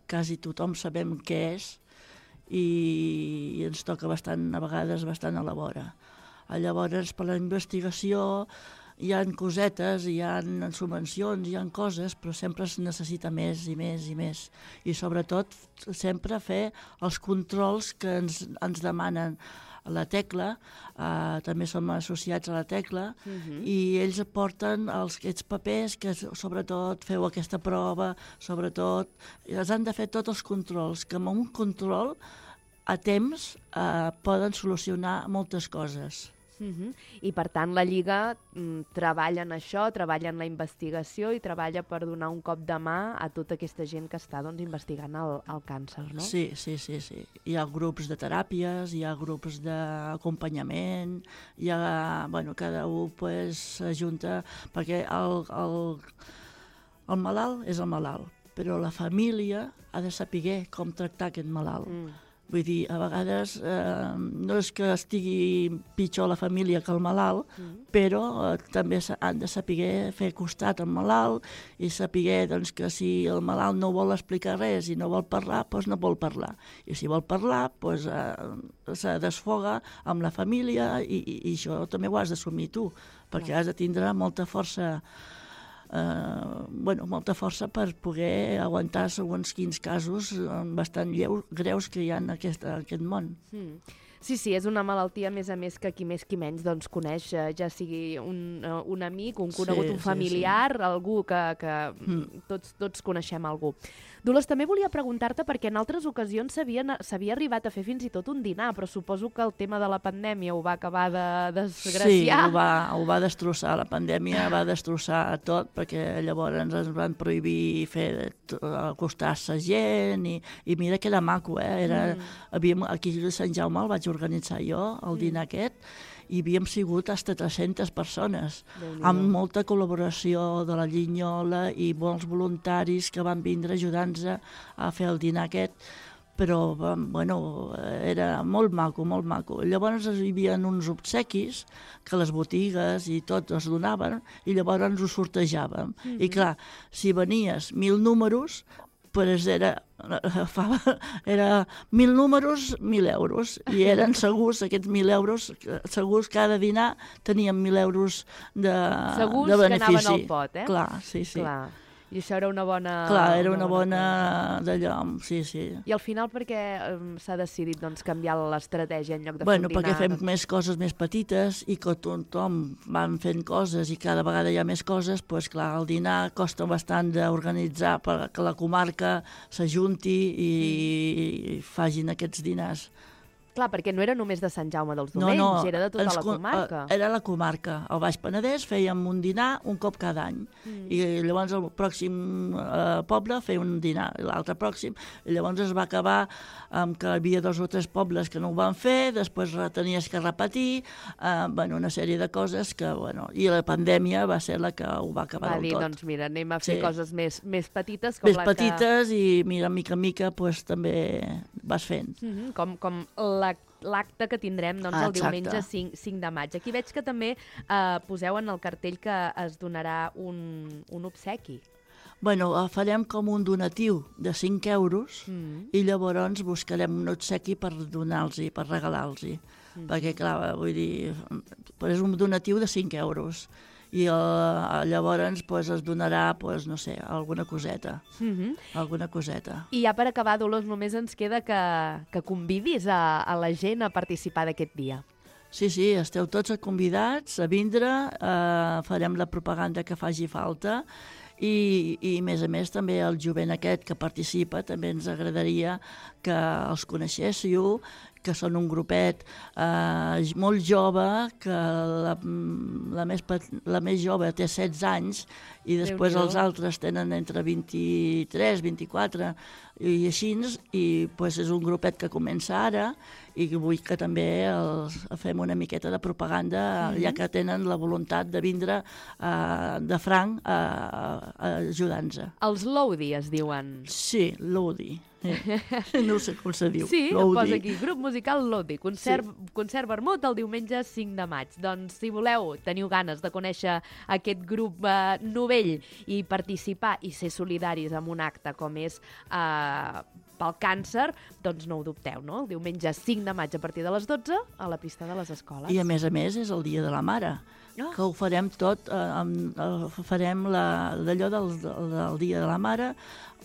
Speaker 11: quasi tothom sabem què és i ens toca a vegades bastant a la vora. Llavors, per la investigació hi ha cosetes, hi ha subvencions, hi ha coses, però sempre es necessita més i més i més. I sobretot sempre fer els controls que ens demanen la Tecla, també som associats a la Tecla, i ells aporten aquests papers que sobretot feu aquesta prova, sobretot els han de fer tots els controls, que amb un control a temps poden solucionar moltes coses.
Speaker 10: I, per tant, la Lliga treballa en això, treballa en la investigació i treballa per donar un cop de mà a tota aquesta gent que està investigant el càncer, no?
Speaker 11: Sí. Hi ha grups de teràpies, hi ha grups d'acompanyament, cada un s'ajunta, perquè el malalt és el malalt, però la família ha de saber com tractar aquest malalt. Vull dir, a vegades no és que estigui pitjor la família que el malalt, però també han de saber fer costat al malalt i saber que si el malalt no vol explicar res i no vol parlar, doncs no vol parlar. I si vol parlar, se desfoga amb la família i això també ho has d'assumir tu, perquè has de tindre molta força molta força per poder aguantar segons quins casos bastant greus que hi ha en aquest món.
Speaker 10: Sí, és una malaltia, a més, que qui més qui menys coneix, ja sigui un amic, un conegut, un familiar, algú que tots coneixem algú. Dolors, també volia preguntar-te, perquè en altres ocasions s'havia arribat a fer fins i tot un dinar, però suposo que el tema de la pandèmia ho va acabar de desgraciar.
Speaker 11: Sí, ho va destrossar, la pandèmia va destrossar tot, perquè llavors ens van prohibir acostar-se gent, i mira que era maco, aquí a Sant Jaume el vaig organitzar jo, el dinar aquest, i havíem sigut fins a 300 persones, amb molta col·laboració de la Llinyola i molts voluntaris que van vindre ajudant-nos a fer el dinar aquest, però era molt maco, molt maco. Llavors hi havia uns obsequis que les botigues i tot es donaven i llavors ens ho sortejàvem. I clar, si venies 1.000 números, era 1.000 números, 1.000 euros, i eren segurs, aquests 1.000 euros, segurs cada dinar tenien 1.000 euros de benefici.
Speaker 10: Segurs que anaven al pot,
Speaker 11: Clar, sí.
Speaker 10: Clar. I això era una bona...
Speaker 11: Clar, era una bona d'allò, sí.
Speaker 10: I al final per què s'ha decidit canviar l'estratègia en lloc de fer un dinar?
Speaker 11: Perquè fem més coses més petites i que tothom van fent coses i cada vegada hi ha més coses, doncs clar, el dinar costa bastant d'organitzar perquè la comarca s'ajunti i facin aquests dinars.
Speaker 10: Clar, perquè no era només de Sant Jaume dels Domenys, era de tota la comarca.
Speaker 11: Era la comarca. Al Baix Penedès fèiem un dinar un cop cada any. I llavors el pròxim poble feia un dinar, l'altre pròxim. I llavors es va acabar amb que hi havia 2 o 3 pobles que no ho van fer, després tenies que repetir, una sèrie de coses que, i la pandèmia va ser la que ho va acabar del tot.
Speaker 10: Va dir, doncs mira, anem a fer coses més petites.
Speaker 11: Més petites i mica en mica també vas fent.
Speaker 10: Com l'acte que tindrem el diumenge 5 de maig. Aquí veig que també poseu en el cartell que es donarà un obsequi.
Speaker 11: Farem com un donatiu de 5 euros i llavors buscarem un obsequi per donar-los, per regalar-los. Perquè, clar, vull dir, és un donatiu de 5 euros. I llavors es donarà, no sé, alguna coseta.
Speaker 10: I ja per acabar, Dolors, només ens queda que convidis a la gent a participar d'aquest dia.
Speaker 11: Sí, esteu tots convidats a vindre, farem la propaganda que faci falta i a més també el jovent aquest que participa també ens agradaria que els coneixéssiu, que són un grupet molt jove, que la més jove té 16 anys i després els altres tenen entre 23, 24 i així, i és un grupet que comença ara i vull que també fem una miqueta de propaganda, ja que tenen la voluntat de vindre de franc ajudant-nos.
Speaker 10: Els Lodi es diuen.
Speaker 11: Sí, Lodi. No sé com se diu.
Speaker 10: Sí, ho posa aquí. Grup musical Lodi. Concert vermut el diumenge 5 de maig. Doncs si teniu ganes de conèixer aquest grup novell i participar i ser solidaris en un acte com és pel càncer, doncs no ho dubteu, no? El diumenge 5 de maig a partir de les 12 a la pista de les escoles.
Speaker 11: I a més és el Dia de la Mare, que ho farem tot, farem d'allò del Dia de la Mare,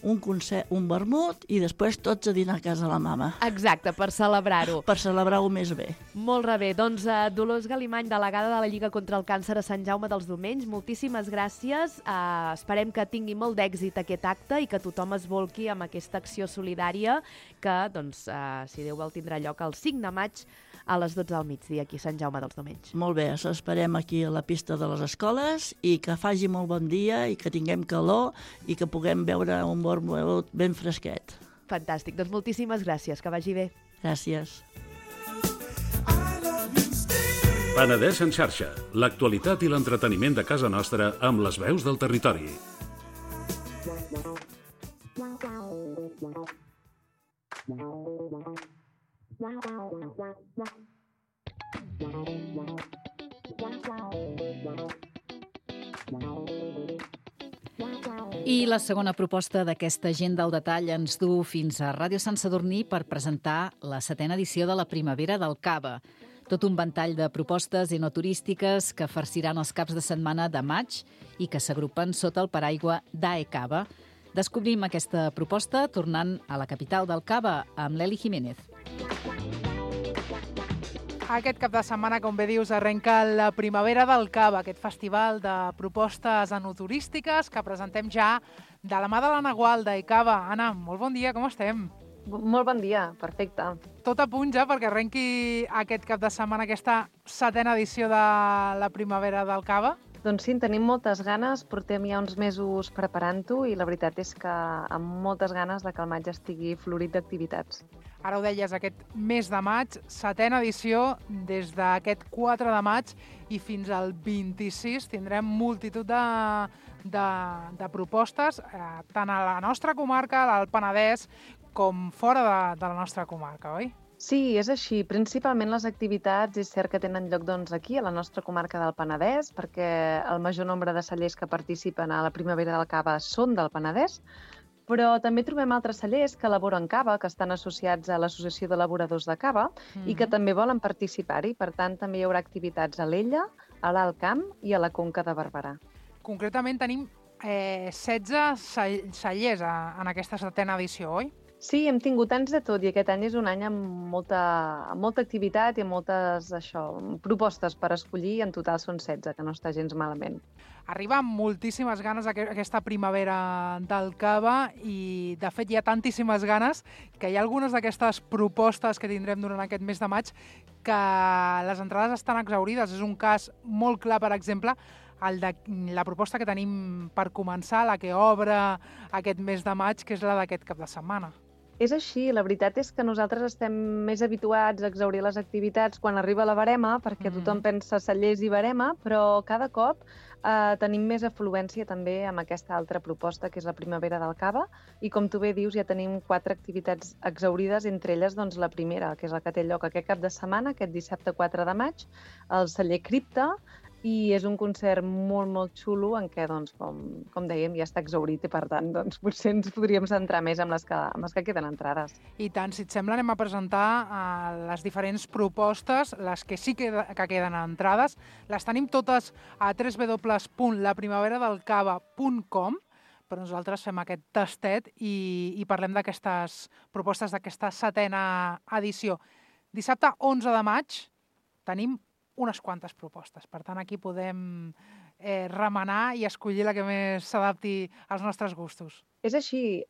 Speaker 11: un concert, un vermut i després tots a dinar a casa la mama.
Speaker 10: Exacte, per celebrar-ho.
Speaker 11: Per celebrar-ho més bé.
Speaker 10: Molt bé. Doncs Dolors Galimany, delegada de la Lliga contra el Càncer a Sant Jaume dels Domenys, moltíssimes gràcies. Esperem que tingui molt d'èxit aquest acte i que tothom es volqui amb aquesta acció solidària solidària que, doncs, si Déu vol, tindrà lloc el 5 de maig a les 12 del migdia, aquí a Sant Jaume dels Domenys.
Speaker 11: Molt bé, esperem aquí a la pista de les escoles i que faci molt bon dia i que tinguem calor i que puguem beure un bon ben fresquet.
Speaker 10: Fantàstic, doncs moltíssimes gràcies, que vagi bé.
Speaker 11: Gràcies.
Speaker 9: Penedès en xarxa, l'actualitat i l'entreteniment de casa nostra amb les veus del territori.
Speaker 4: I la segona proposta d'aquesta agenda al detall ens du fins a Ràdio Sant Sadurní per presentar la 7a edició de la Primavera del Cava. Tot un ventall de propostes enoturístiques que farciran els caps de setmana de maig i que s'agrupen sota el paraigua d'AE Cava. Descobrim aquesta proposta tornant a la capital del Cava amb l'Eli Jiménez.
Speaker 12: Aquest cap de setmana, com bé dius, arrenca la Primavera del Cava, aquest festival de propostes enoturístiques que presentem ja de la mà de l'Anna Gualda i Cava. Anna, molt bon dia, com estem?
Speaker 13: Molt bon dia, perfecte.
Speaker 12: Tot a punt ja perquè arrenqui aquest cap de setmana aquesta 7a edició de la Primavera del Cava?
Speaker 13: Doncs sí, en tenim moltes ganes, portem ja uns mesos preparant-ho i la veritat és que amb moltes ganes de que el maig estigui florit d'activitats.
Speaker 12: Ara ho deies, aquest mes de maig, 7a edició, des d'aquest 4 de maig i fins al 26 tindrem multitud de propostes, tant a la nostra comarca, al Penedès, com fora de la nostra comarca, oi?
Speaker 13: Sí, és així. Principalment les activitats és cert que tenen lloc aquí, a la nostra comarca del Penedès, perquè el major nombre de cellers que participen a la Primavera del Cava són del Penedès, però també trobem altres cellers que elaboren cava, que estan associats a l'Associació d'Elaboradors de Cava i que també volen participar-hi. Per tant, també hi haurà activitats a l'Ella, a l'Alt Camp i a la Conca de Barberà.
Speaker 12: Concretament tenim 16 cellers en aquesta 7a edició, oi?
Speaker 13: Sí, hem tingut anys de tot i aquest any és un any amb molta activitat i amb moltes propostes per escollir. En total són 16, que no està gens malament.
Speaker 12: Arriba amb moltíssimes ganes aquesta Primavera del Cava i, de fet, hi ha tantíssimes ganes que hi ha algunes d'aquestes propostes que tindrem durant aquest mes de maig que les entrades estan exhaurides. És un cas molt clar, per exemple, el de la proposta que tenim per començar, la que obre aquest mes de maig, que és la d'aquest cap de setmana.
Speaker 13: És així, la veritat és que nosaltres estem més habituats a exhaurir les activitats quan arriba la verema, perquè tothom pensa cellers i verema, però cada cop tenim més afluència també amb aquesta altra proposta, que és la Primavera del Cava, i com tu bé dius, ja tenim 4 activitats exhaurides, entre elles doncs, la primera, que és la que té lloc aquest cap de setmana, aquest dissabte 4 de maig, el celler Cripta, i és un concert molt, molt xulo en què, doncs, com dèiem, ja està exhaurit i, per tant, doncs, potser ens podríem centrar més en les que queden entrades.
Speaker 12: I tant, si et sembla, anem a presentar les diferents propostes, les que sí que queden entrades. Les tenim totes a www.laprimaveраdelcava.com, però nosaltres fem aquest tastet i parlem d'aquestes propostes d'aquesta 7a edició. Dissabte 11 de maig tenim unes quantes propostes. Per tant, aquí podem remenar i escollir la que més s'adapti als nostres gustos.
Speaker 13: És així.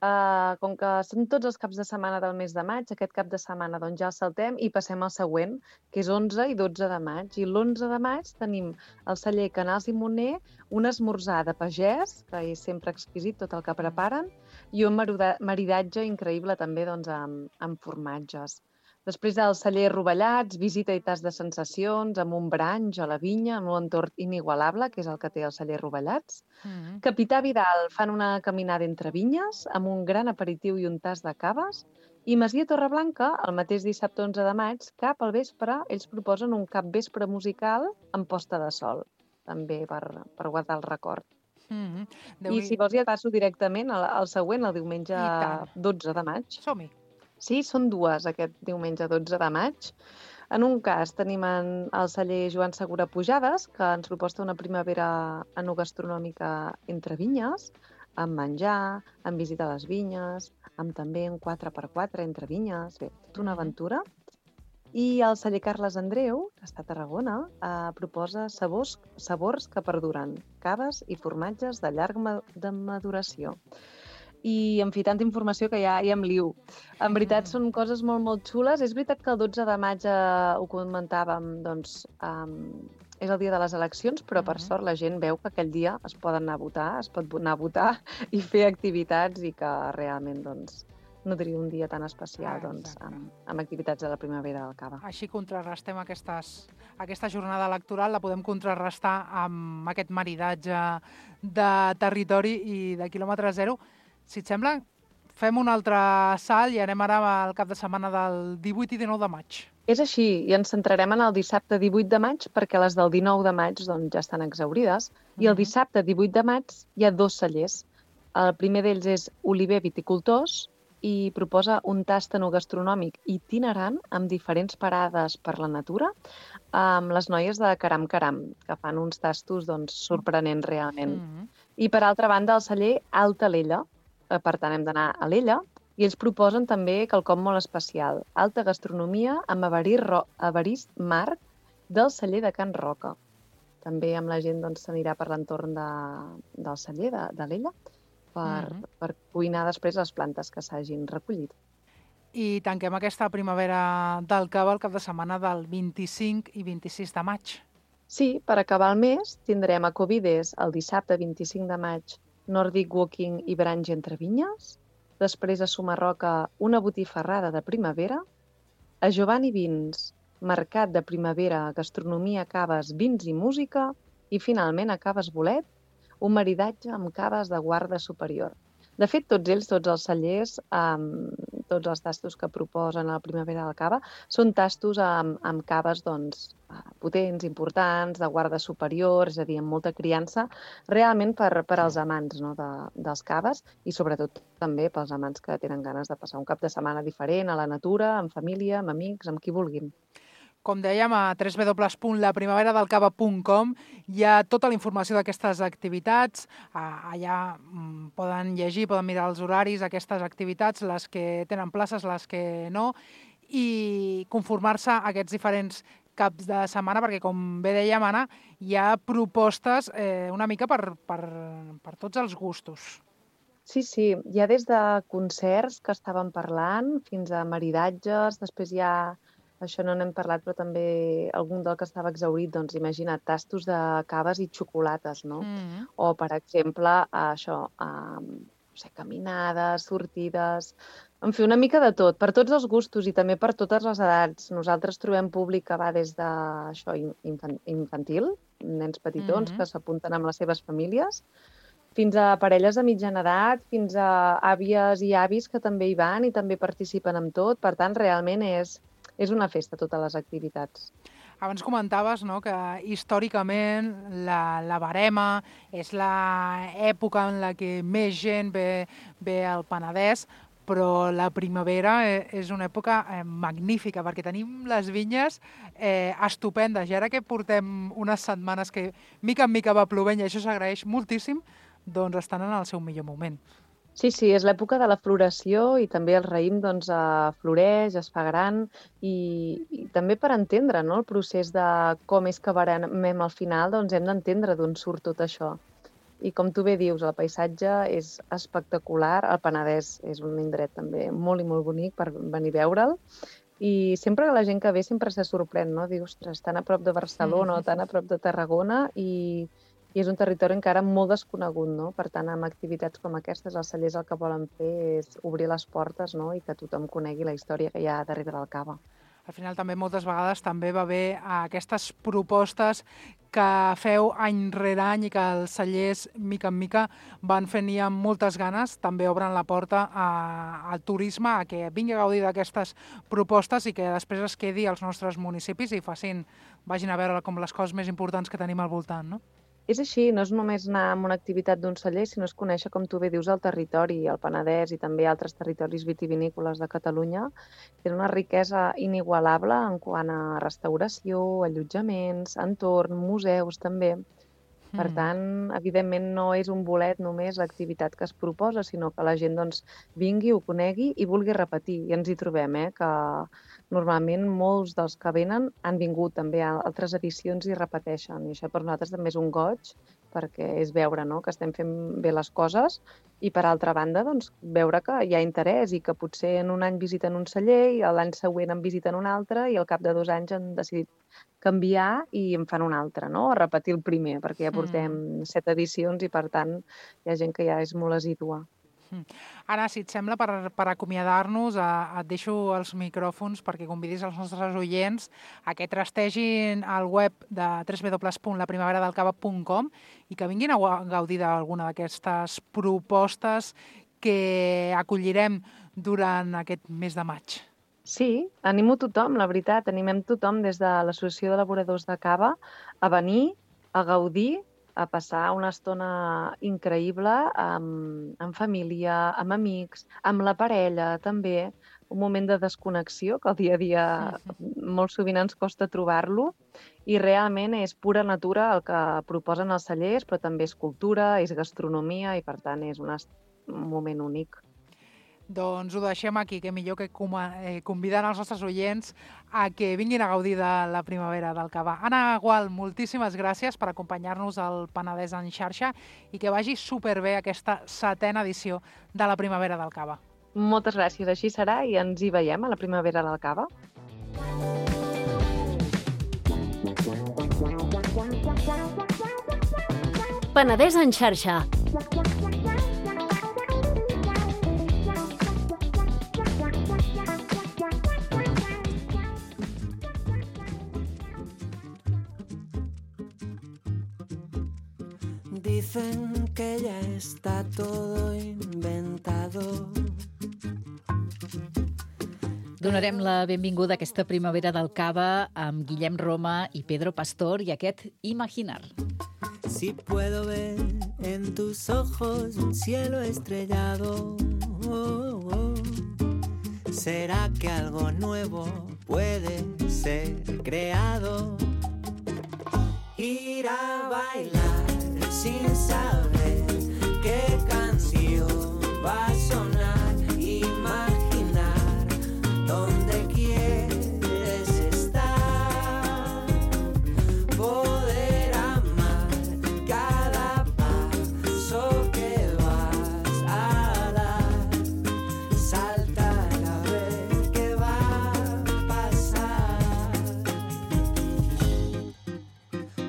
Speaker 13: Com que són tots els caps de setmana del mes de maig, aquest cap de setmana doncs, ja el saltem i passem al següent, que és 11 i 12 de maig. I l'11 de maig tenim el celler Canals i Moner, un esmorzar de pagès, que és sempre exquisit tot el que preparen, i un maridatge increïble també doncs, amb formatges. Després del celler Rovellats, visita i tas de sensacions, amb un branx a la vinya, amb un entorn inigualable, que és el que té el celler Rovellats. Capità Vidal fan una caminada entre vinyes, amb un gran aperitiu i un tas de caves. I Masia Torreblanca, el mateix dissabte 11 de maig, cap al vespre, ells proposen un capvespre musical amb posta de sol, també per guardar el record. I si vols ja passo directament al següent, el diumenge 12 de maig.
Speaker 12: Som-hi.
Speaker 13: Sí, són dues aquest diumenge 12 de maig. En un cas tenim el celler Joan Segura Pujades, que ens proposa una primavera enogastronòmica entre vinyes, amb menjar, amb visita a les vinyes, amb també un 4x4 entre vinyes, bé, tota una aventura. I el celler Carles Andreu, que està a Tarragona, proposa sabors que perduren, caves i formatges de llarga maduració. i, en fi, tanta informació que ja em liu. En veritat, són coses molt, molt xules. És veritat que el 12 de maig, ho comentàvem, doncs, és el dia de les eleccions, però per sort la gent veu que aquell dia es poden anar a votar, es pot anar a votar i fer activitats i que realment, doncs, nodrir un dia tan especial doncs, amb activitats de la primavera del Cava.
Speaker 12: Així contrarrestem aquesta jornada electoral, la podem contrarrestar amb aquest maridatge de territori i de quilòmetre zero. Si et sembla, fem un altre salt i anem ara al cap de setmana del 18 i 19 de maig.
Speaker 13: És així, i ens centrarem en el dissabte 18 de maig perquè les del 19 de maig doncs, ja estan exhaurides, i el dissabte 18 de maig hi ha 2 cellers. El primer d'ells és Oliver Viticultors, i proposa un tast enogastronòmic itinerant amb diferents parades per la natura amb les noies de Caram Caram, que fan uns tastos doncs, sorprenents realment. I per altra banda, el celler Alta Alella, per tant hem d'anar a l'Ella, i ells proposen també quelcom molt especial, alta gastronomia amb Evarist Marc del celler de Can Roca. També amb la gent s'anirà per l'entorn del celler de l'Ella, per cuinar després les plantes que s'hagin recollit.
Speaker 12: I tanquem aquesta primavera del Cava el cap de setmana del 25 i 26 de maig.
Speaker 13: Sí, per acabar el mes tindrem a Covides el dissabte 25 de maig Nordic Walking i Branch entre vinyes, després a Sumarroca una botifarrada de primavera, a Giovanni Vins, mercat de primavera, gastronomia, caves, vins i música, i finalment a Caves Bolet, un maridatge amb caves de guarda superior. De fet, tots els cellers, tots els tastos que proposen a la primavera del Cava, són tastos amb caves potents, importants, de guarda superior, és a dir, amb molta criança, realment per als amants dels caves i sobretot també pels amants que tenen ganes de passar un cap de setmana diferent a la natura, amb família, amb amics, amb qui vulguin.
Speaker 12: Com dèiem, a www.laprimaveradelcava.com hi ha tota la informació d'aquestes activitats. Allà poden llegir, poden mirar els horaris d'aquestes activitats, les que tenen places, les que no, i conformar-se a aquests diferents caps de setmana, perquè, com bé dèiem, Anna, hi ha propostes una mica per tots els gustos.
Speaker 13: Sí, hi ha des de concerts que estàvem parlant fins a maridatges, després hi ha... Això no n'hem parlat, però també algun del que estava exhaurit, doncs imagina't, tastos de caves i xocolates, no? O, per exemple, caminades, sortides... En fi, una mica de tot, per tots els gustos i també per totes les edats. Nosaltres trobem públic que va des de infantil, nens petitons que s'apunten amb les seves famílies, fins a parelles de mitjana edat, fins a àvies i avis que també hi van i també participen en tot. Per tant, realment és una festa, totes les activitats.
Speaker 12: Abans comentaves que històricament la Verema és l'època en la que més gent ve al Penedès, però la primavera és una època magnífica perquè tenim les vinyes estupendes. I ara que portem unes setmanes que mica en mica va plovent i això s'agraeix moltíssim, doncs estan en el seu millor moment.
Speaker 13: Sí, és l'època de la floració i també el raïm floreix, es fa gran i també per entendre el procés de com és que verenem al final, doncs hem d'entendre d'on surt tot això. I com tu bé dius, el paisatge és espectacular, el Penedès és un indret també molt i molt bonic per venir a veure'l i sempre que la gent que ve sempre se sorprèn, no? Diu, ostres, tan a prop de Barcelona o tan a prop de Tarragona i és un territori encara molt desconegut, no? Per tant, amb activitats com aquestes, els cellers el que volen fer és obrir les portes, no? I que tothom conegui la història que hi ha darrere del Cava.
Speaker 12: Al final també moltes vegades també va haver aquestes propostes que feu any rere any i que els cellers mica en mica van fent i amb moltes ganes, també obren la porta al turisme, a que vingui a gaudir d'aquestes propostes i que després es quedi als nostres municipis i vagin a veure com les coses més importants que tenim al voltant, no?
Speaker 13: És així, no és només anar a una activitat d'un celler, sinó és conèixer, com tu bé dius, el territori, el Penedès i també altres territoris vitivinícoles de Catalunya. Tenen una riquesa inigualable en quant a restauració, allotjaments, entorn, museus també. Per tant, evidentment, no és un bolet només l'activitat que es proposa, sinó que la gent vingui, ho conegui i vulgui repetir. I ens hi trobem, que normalment molts dels que venen han vingut també a altres edicions i repeteixen. I això per nosaltres també és un goig, perquè és veure, no?, que estem fent bé les coses, i per altra banda, doncs, veure que hi ha interès i que potser en un any visiten un celler i l'any següent en visiten un altre i al cap de 2 anys han decidit canviar i en fan un altre, no?, a repetir el primer, perquè ja portem 7 edicions i, per tant, hi ha gent que ja és molt assídua.
Speaker 12: Anna, si et sembla, per acomiadar-nos, et deixo els micròfons perquè convidis els nostres oients a que trastegin el web de www.laprimaveradelcava.com i que vinguin a gaudir d'alguna d'aquestes propostes que acollirem durant aquest mes de maig.
Speaker 13: Sí, animo tothom, la veritat, animem tothom des de l'Associació d'Elaboradors de Cava a venir, a gaudir, a passar una estona increïble amb família, amb amics, amb la parella també, un moment de desconnexió que el dia a dia molt sovint ens costa trobar-lo, i realment és pura natura el que proposen els cellers, però també és cultura, és gastronomia i per tant és un moment únic.
Speaker 12: Doncs ho deixem aquí, que millor que convidant els nostres oients a que vinguin a gaudir de la primavera del cava. Anna Gual, moltíssimes gràcies per acompanyar-nos al Penedès en xarxa i que vagi superbé aquesta 7a edició de la primavera del cava.
Speaker 13: Moltes gràcies, així serà i ens hi veiem a la primavera del cava.
Speaker 3: Penedès en xarxa.
Speaker 14: Dicen que ya está todo inventado.
Speaker 4: Donarem la benvinguda a aquesta primavera del cava amb Guillem Roma i Pedro Pastor i aquest Imaginar.
Speaker 14: Si puedo ver en tus ojos un cielo estrellado, ¿será que algo nuevo puede ser creado? Ir a bailar sin saber qué canción va a sonar, imaginar dónde quieres estar, poder amar cada paso que vas a dar, saltar a ver qué va a pasar.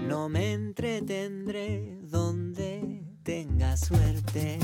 Speaker 14: No me entretendré donde tenga suerte.